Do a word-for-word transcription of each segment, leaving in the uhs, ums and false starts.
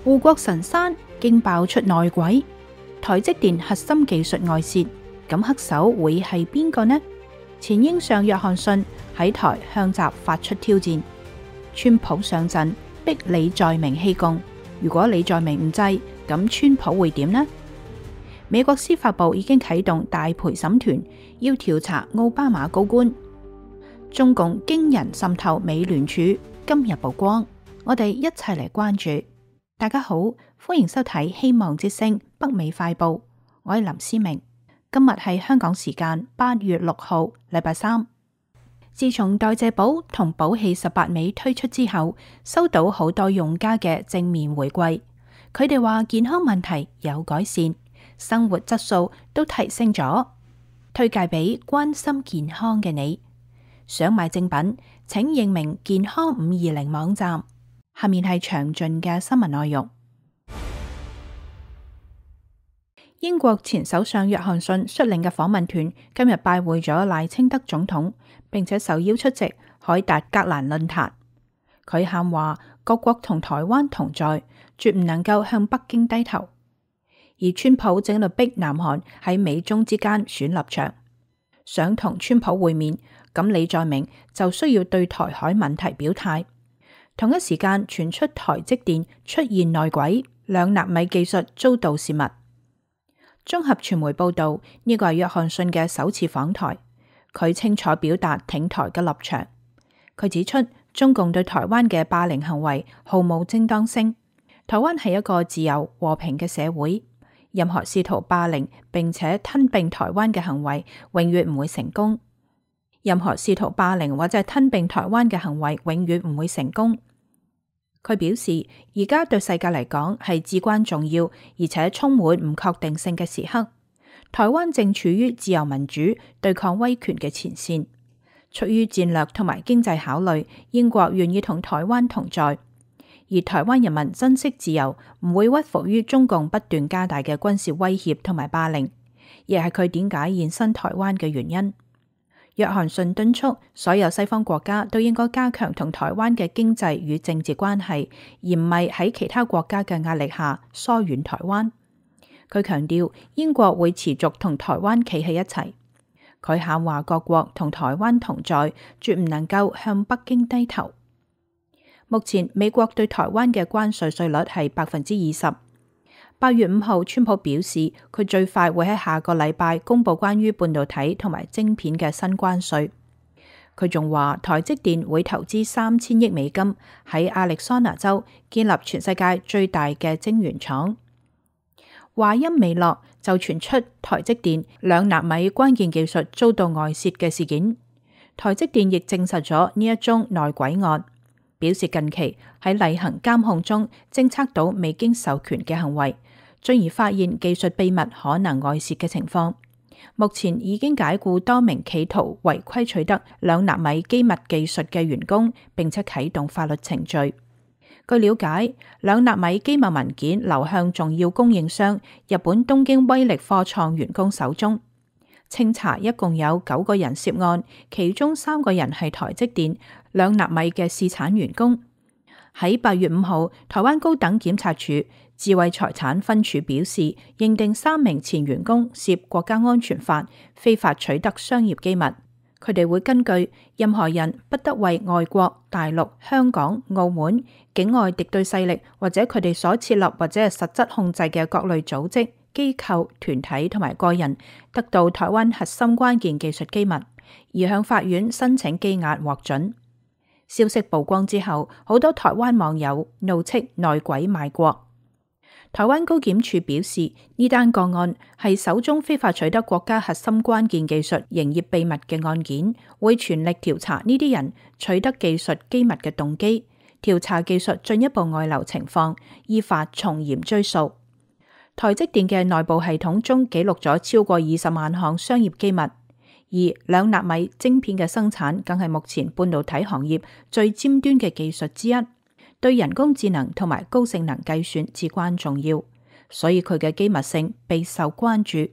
護國神山竟爆出內鬼，台積電核心技術外泄，咁黑手會係邊個呢？前英相約翰遜喺台向習發出挑戰，川普上陣逼李在明棄共，如果李在明唔制，咁川普會點呢？美國司法部已經啟動大陪審團，要調查奧巴馬高官。中共驚人滲透美聯儲，今日曝光，我哋一齊嚟關注。大家好，歡迎收睇希望之聲北美快報，我係林思明。今日係香港時間八月六號，禮拜三。自從代謝寶同寶氣十八味推出之後，收到好多用家嘅正面回饋。佢哋話健康問題有改善，生活質素都提升咗，推介俾關心健康嘅你。想買正品，請認明健康五二零網站。下面係詳盡嘅新聞內容。英國前首相約翰遜率領嘅訪問團今日拜會咗賴清德總統，並且受邀出席凱達格蘭論壇。佢喊話各國同台灣同在，絕唔能夠向北京低頭。而川普正喺度逼南韓喺美中之間選立場，想同川普會面，咁李在明就需要對台海問題表態。同一時間傳出台積電出現內鬼，兩納米技術遭到洩密。綜合傳媒報道，呢個係約翰遜嘅首次訪台，佢清楚表達挺台嘅立場。佢指出，中共對台灣嘅霸凌行為毫無正當性。台灣係一個自由和平嘅社會，任何試圖霸凌並且吞併台灣嘅行為永遠唔會成功。任何試圖霸凌或者係吞併台灣嘅行為永遠唔會成功。佢表示，而家對世界嚟講係至關重要，而且充滿唔確定性嘅時刻。台灣正處於自由民主對抗威權嘅前線。出於戰略同埋經濟考慮，英國願意同台灣同在，而台灣人民珍惜自由，唔會屈服於中共不斷加大嘅軍事威脅同埋霸凌，亦係佢點解現身台灣嘅原因。約翰遜敦促所有西方國家都應該加強同台灣嘅經濟與政治關係，而唔係喺其他國家嘅壓力下疏遠台灣。佢強調英國會持續同台灣企喺一齊。佢喊話各國同台灣同在，絕唔能夠向北京低頭。目前美國對台灣嘅關稅稅率係百分之二十。八月五號，川普表示佢最快會喺下個禮拜公布關於半導體同埋晶片嘅新關稅。佢仲話台積電會投資三千億美金喺亞利桑那州建立全世界最大嘅晶圓廠。話音未落，就傳出台積電兩納米關鍵技術遭到外泄嘅事件。台積電亦證實咗呢一宗內鬼案，表示近期喺例行監控中偵測到未經授權嘅行為，進而發現技術秘密可能外泄嘅情況。目前已經解雇多名企圖違規取得兩納米機密技術嘅員工，並且啟動法律程序。據了解，兩納米機密文件流向重要供應商日本東京威力科創員工手中。清查一共有九個人涉案，其中三個人係台積電兩納米嘅試產員工。喺八月五號，台灣高等檢察署智慧財產分署表示，認定三名前員工涉國家安全法非法取得商業機密。佢哋會根據任何人不得為外國、大陸、香港、澳門、境外敵對勢力或者佢哋所設立或者係實質控制嘅各類組織、機構、團體同埋個人得到台灣核心關鍵技術機密，而向法院申請羈押獲准。消息曝光之後，好多台灣網友怒斥內鬼賣國。台灣高檢署表示，呢單個案係首宗非法取得國家核心關鍵技術營業秘密嘅案件，會全力調查呢啲人取得技術機密嘅動機，調查技術進一步外流情況，依法從嚴追訴。台積電嘅內部系統中記錄咗超過二十萬項商業機密，而兩納米晶片嘅生產更係目前半導體行業最尖端嘅技術之一。對人工智能同埋高性能計算至關重要，所以佢嘅機密性備受關注。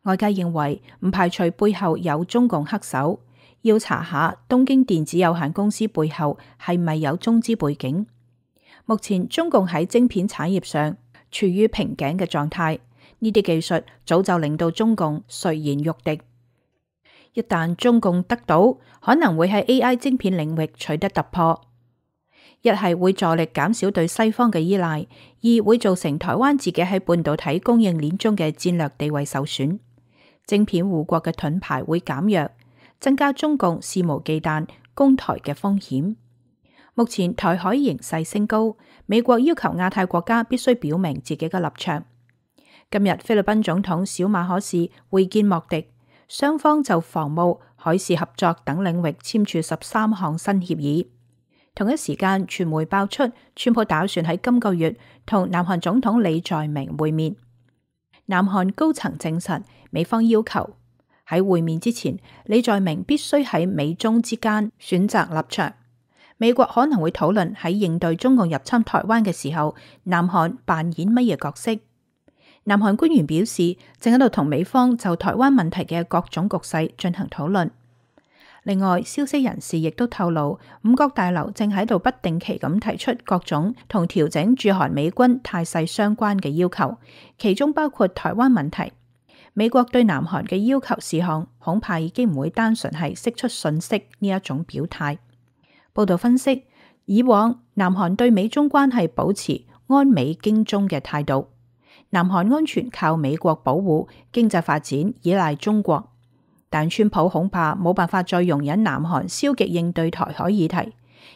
外界認為唔排除背後有中共黑手，要查下東京電子有限公司背後係咪有中資背景。目前中共喺晶片產業上處於瓶頸嘅狀態，呢啲技術早就令到中共垂涎欲滴。一旦中共得到，可能會喺 A I 晶片領域取得突破。一係會助力減少對西方嘅依賴，二會造成台灣自己喺半導體供應鏈中嘅戰略地位受損，晶片護國嘅盾牌會減弱，增加中共肆無忌憚攻台嘅風險。目前台海形勢升高，美國要求亞太國家必須表明自己嘅立場。今日菲律賓總統小馬可仕會見莫迪，雙方就防務、海事合作等領域簽署十三項新協議。同一時間，傳媒爆出川普打算喺今個月同南韓總統李在明會面。南韓高層證實，美方要求喺會面之前，李在明必須喺美中之間選擇立場。美國可能會討論喺應對中共入侵台灣嘅時候，南韓扮演乜嘢角色。南韓官員表示，正喺度同美方就台灣問題嘅各種局勢進行討論。另外，消息人士亦都透露，五角大樓正喺度不定期咁提出各種同調整駐韓美軍態勢相關嘅要求，其中包括台灣問題。美國對南韓嘅要求事項，恐怕已經唔會單純係釋出訊息呢一種表態。報道分析，以往南韓對美中關係保持安美經中嘅態度，南韓安全靠美國保護，經濟發展依賴中國。但川普恐怕冇辦法再容忍南韓消極應對台海議題，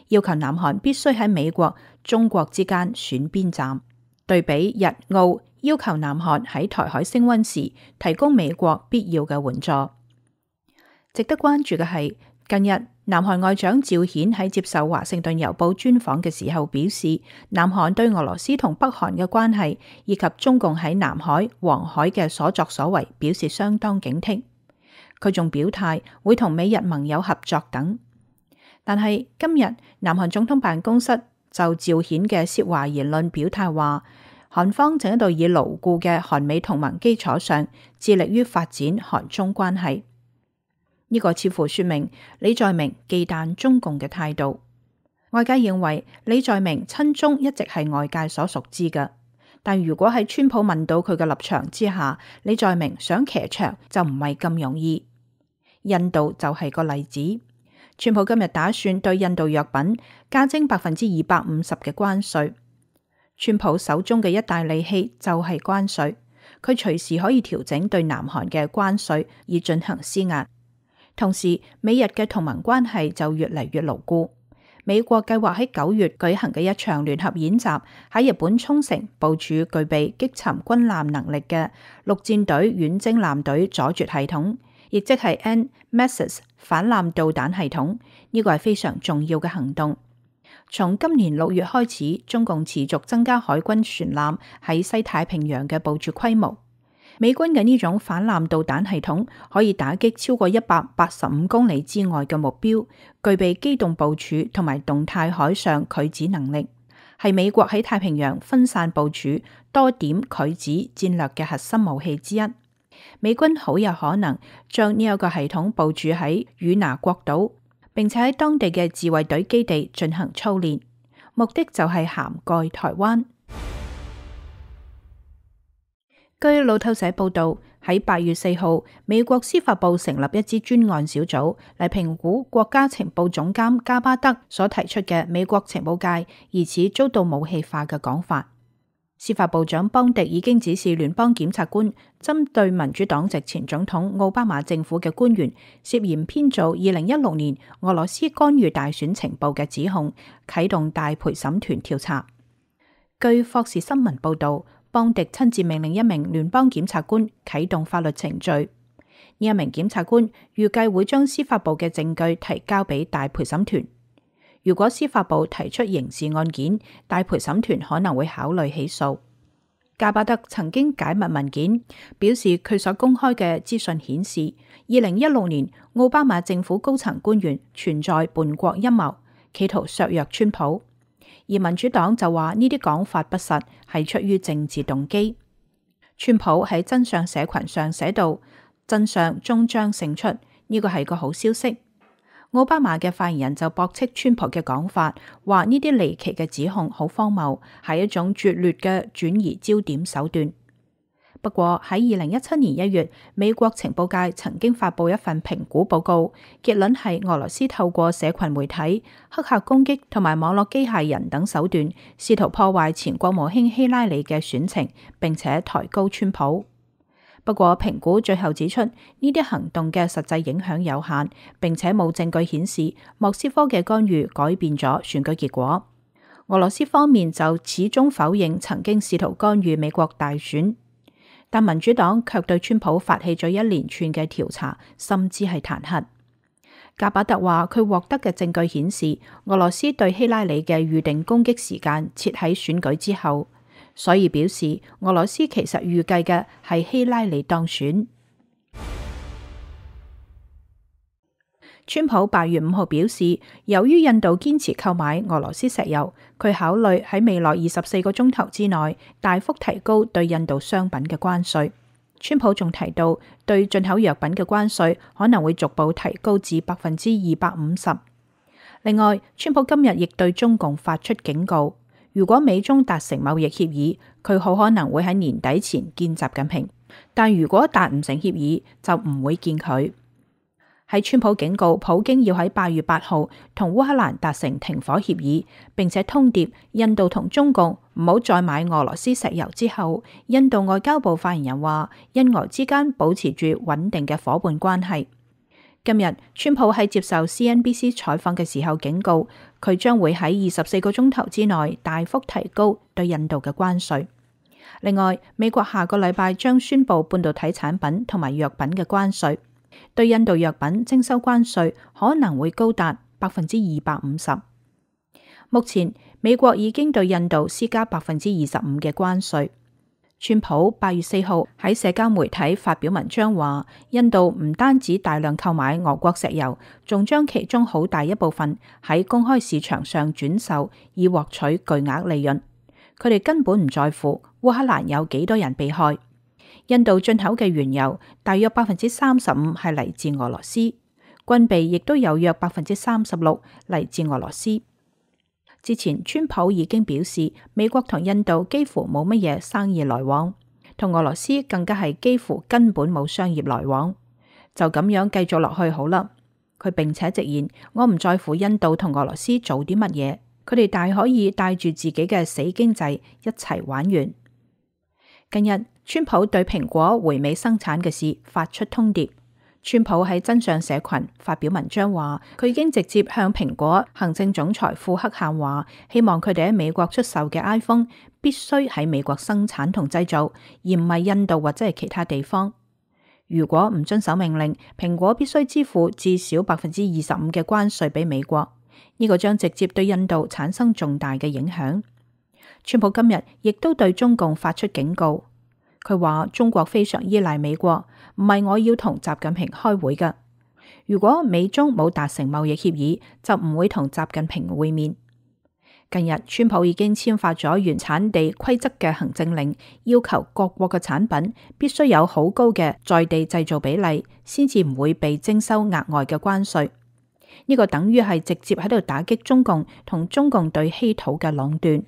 要求南韓必須喺美國、中國之間選邊站。對比日澳要求南韓喺台海升溫時提供美國必要嘅援助。值得關注嘅係，近日南韓外長趙顯喺接受華盛頓郵報專訪嘅時候表示，南韓對俄羅斯同北韓嘅關係以及中共喺南海、黃海嘅所作所為表示相當警惕。佢仲表態會同美日盟友合作等，但係今日南韓總統辦公室就趙顯嘅涉華言論表態話，韓方正喺度以牢固嘅韓美同盟基礎上，致力於發展韓中關係。呢個似乎說明李在明忌憚中共嘅態度。外界認為李在明親中一直係外界所熟知嘅。但如果喺川普問到佢嘅立場之下，李在明想騎牆就唔係咁容易。印度就係個例子，川普今日打算對印度藥品加徵百分之二百五十嘅關稅。川普手中嘅一大利器就係關稅，佢隨時可以調整對南韓嘅關稅以進行施壓。同時，美日嘅同盟關係就越嚟越牢固。美國計劃喺九月舉行嘅一場聯合演習，喺日本沖繩部署具備擊沉軍艦能力嘅陸戰隊遠征艦隊阻絕系統，亦即係 N M A S S 反艦導彈系統。呢個係非常重要嘅行動。從今年六月開始，中共持續增加海軍船艦喺西太平洋嘅部署規模。美軍嘅呢種反艦導彈系統可以打擊超過一百八十五公里之外嘅目標，具備機動部署同埋動態海上拒止能力，係美國喺太平洋分散部署多點拒止戰略嘅核心武器之一。美軍好有可能將呢一個系統部署喺與那國島，並且喺當地嘅自衛隊基地進行操練，目的就係涵蓋台灣。據路透社報道，喺八月四號，美國司法部成立一支專案小組嚟評估國家情報總監加巴德所提出嘅美國情報界疑似遭到武器化嘅講法。司法部長邦迪已經指示聯邦檢察官針對民主黨籍前總統奧巴馬政府嘅官員涉嫌編造二零一六年俄羅斯干預大選情報嘅指控，啟動大陪審團調查。據霍士新聞報道，邦迪親自命令一名聯邦檢察官啟動法律程序。呢一名檢察官預計會將司法部嘅證據提交俾大陪審團。如果司法部提出刑事案件，大陪審團可能會考慮起訴。加巴德曾經解密文件，表示佢所公開嘅資訊顯示，二零一六年奧巴馬政府高層官員存在叛國陰謀，企圖削弱川普。而民主黨就話呢啲講法不實，係出於政治動機。川普喺真相社群上寫道：真相終將勝出，呢個係個好消息。奧巴馬嘅發言人就駁斥川普嘅講法，話呢啲離奇嘅指控好荒謬，係一種拙劣嘅轉移焦點手段。不過喺二零一七年一月，美國情報界曾經發布一份評估報告，結論係俄羅斯透過社群媒體、黑客攻擊同埋網絡機械人等手段，試圖破壞前國務卿希拉里嘅選情，並且抬高川普。不過評估最後指出，呢啲行動嘅實際影響有限，並且冇證據顯示莫斯科嘅干預改變咗選舉結果。俄羅斯方面就始終否認曾經試圖干預美國大選。但民主黨卻對川普發起咗一連串嘅調查，甚至係彈劾。格巴特話佢獲得嘅證據顯示，俄羅斯對希拉里嘅預定攻擊時間設喺選舉之後，所以表示俄羅斯其實預計嘅係希拉里當選。川普八月五號表示，由於印度堅持購買俄羅斯石油，佢考慮喺未來二十四個鐘頭之內大幅提高對印度商品嘅關稅。川普仲提到，對進口藥品嘅關稅可能會逐步提高至百分之二百五十。另外，川普今日亦對中共發出警告，如果美中達成貿易協議，佢好可能會喺年底前見習近平，但如果達唔成協議，就唔會見佢。喺川普警告普京要喺八月八號同烏克蘭達成停火協議，並且通牒印度同中共唔好再買俄羅斯石油之後，印度外交部發言人話，印俄之間保持住穩定嘅夥伴關係。今日川普喺接受 C N B C 採訪嘅時候警告，佢將會喺二十四個鐘頭之內大幅提高對印度嘅關稅。另外，美國下個禮拜將宣布半導體產品同埋藥品嘅關稅。對印度藥品徵收關稅可能會高達百分之二百五十。目前美國已經對印度施加百分之二十五嘅關稅。川普八月四號喺社交媒體發表文章話，印度唔單止大量購買俄國石油，仲將其中好大一部分喺公開市場上轉售，以獲取巨額利潤。佢哋根本唔在乎烏克蘭有幾多人被害。印度進口嘅原油大約百分之三十五係嚟自俄羅斯，軍備亦都有約百分之三十六嚟自俄羅斯。之前川普已經表示，美國同印度幾乎冇乜嘢生意來往，同俄羅斯更加係幾乎根本冇商業來往。就咁樣繼續落去好啦。佢並且直言，我唔在乎印度同俄羅斯做啲乜嘢，佢哋大可以帶住自己嘅死經濟一齊玩完。近日，川普對蘋果回美生產嘅事發出通牒。川普喺真相社群發表文章話，佢已經直接向蘋果行政總裁庫克喊話，希望佢哋喺美國出售嘅 iPhone 必須喺美國生產同製造，而唔係印度或者係其他地方。如果唔遵守命令，蘋果必須支付至少百分之二十五嘅關稅俾美國，呢個將直接對印度產生重大嘅影響。川普今日亦都對中共發出警告，佢話中國非常依賴美國，唔係我要同習近平開會㗎。如果美中冇達成貿易協議，就唔會同習近平會面。近日，川普已經簽發咗原產地規則嘅行政令，要求各國嘅產品必須有好高嘅在地製造比例，先至唔會被徵收額外嘅關稅。呢個等於係直接喺度打擊中共同中共對稀土嘅壟斷。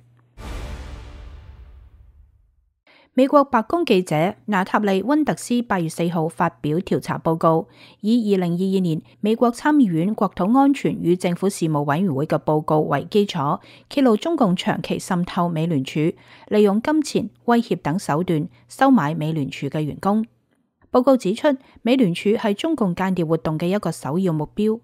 美國白宮記者娜塔莉·溫特斯八月四號發表調查報告，以二零二二年美國參議院國土安全與政府事務委員會嘅報告為基礎，揭露中共長期滲透美聯儲，利用金錢、威脅等手段收買美聯儲嘅員工。報告指出，美聯儲係中共間諜活動嘅一個首要目標。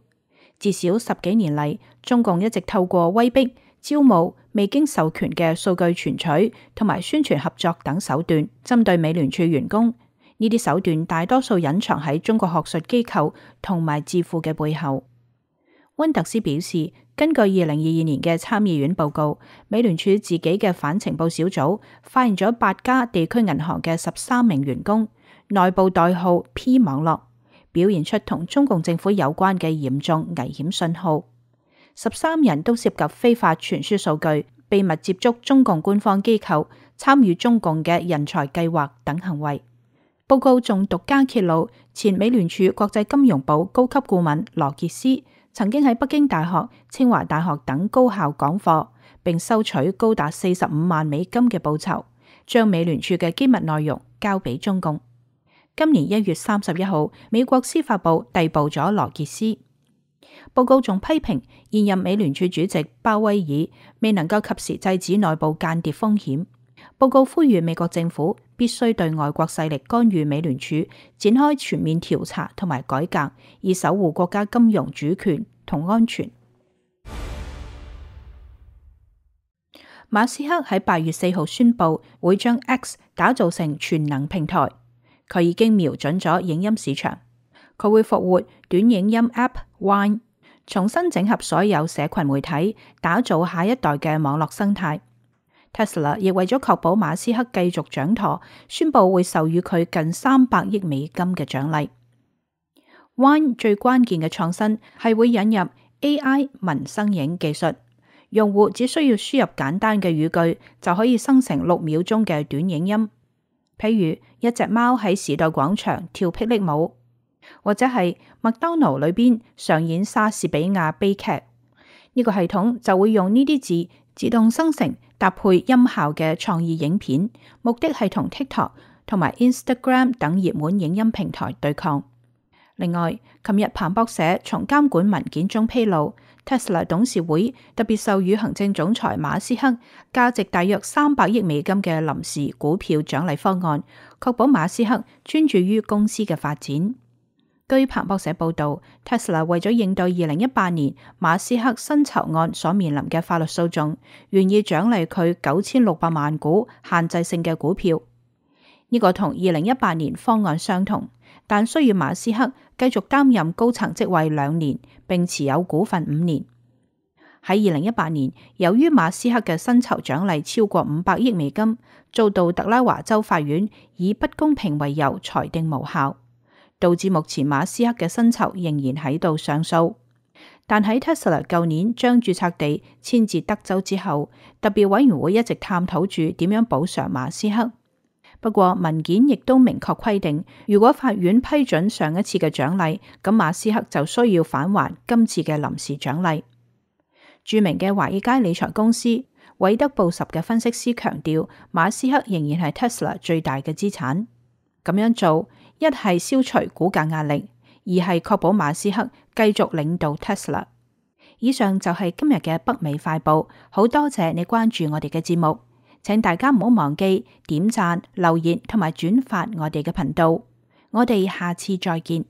至少十幾年嚟，中共一直透過威逼、招募、未經授權嘅數據存取同埋宣傳合作等手段，針對美聯儲員工。呢啲手段大多數隱藏喺中國學術機構同埋智庫嘅背後。溫特斯表示，根據二零二二年嘅參議院報告，美聯儲自己嘅反情報小組發現咗八家地區銀行嘅十三名員工，內部代號 P 網絡，表現出同中共政府有關嘅嚴重危險信號。十三人都涉及非法傳輸數據、秘密接觸中共官方機構、參與中共嘅人才計劃等行為。報告仲獨家揭露，前美聯儲國際金融部高級顧問羅傑斯曾經喺北京大學、清華大學等高校講課，並收取高達四十五萬美金嘅報酬，將美聯儲嘅機密內容交俾中共。今年一月三十一號，美國司法部逮捕咗羅傑斯。報告仲批評現任美聯儲主席鮑威爾未能夠及時制止內部間諜風險。報告呼籲美國政府必須對外國勢力干預美聯儲展開全面調查同埋改革，以守護國家金融主權同安全。馬斯克喺八月四號宣布會將 X 打造成全能平台，佢已經瞄準咗影音市場，佢會復活短影音 App Vine， 重新整合所有社群媒體，打造下一代嘅網絡生態。Tesla 亦為咗確保馬斯克繼續掌舵，宣布會授予佢近三百億美金嘅獎勵。Vine 最關鍵嘅創新係會引入 A I 文生影技術，用戶只需要輸入簡單嘅語句就可以生成六秒鐘嘅短影音，譬如一隻貓喺時代廣場跳霹靂舞，或者係麥當勞裏邊上演莎士比亞悲劇，呢、這個系統就會用呢啲字自動生成搭配音效嘅創意影片，目的係同 TikTok 同埋 Instagram 等熱門影音平台對抗。另外，琴日彭博社從監管文件中披露， Tesla 董事會特別授予行政總裁馬斯克價值大約三百億美金嘅臨時股票獎勵方案，確保馬斯克專注於公司嘅發展。據彭博社報道， Tesla 為咗應對二零一八年馬斯克薪酬案所面臨嘅法律訴訟，願意獎勵佢九千六百萬股限制性嘅股票。呢、這個同二零一八年方案相同，但需要馬斯克繼續擔任高層職位兩年，並持有股份五年。喺二零一八年，由於馬斯克嘅薪酬獎勵超過五百億美金，遭到特拉華州法院以不公平為由裁定無效，導致目前馬斯克嘅薪酬仍然喺度上訴。但喺 Tesla 舊年將註冊地遷至德州之後，特別委員會一直探討住點樣補償馬斯克。不過文件亦都明確規定，如果法院批准上一次嘅獎勵，咁馬斯克就需要返還今次嘅臨時獎勵。著名嘅華爾街理財公司韋德布什嘅分析師強調，馬斯克仍然係 Tesla 最大嘅資產。咁樣做，一係消除股價壓力，二係確保馬斯克繼續領導 Tesla。以上就係今日嘅北美快報，好多謝你關注我哋嘅節目，請大家唔好忘記點讚、留言同埋轉發我哋嘅頻道。我哋下次再見。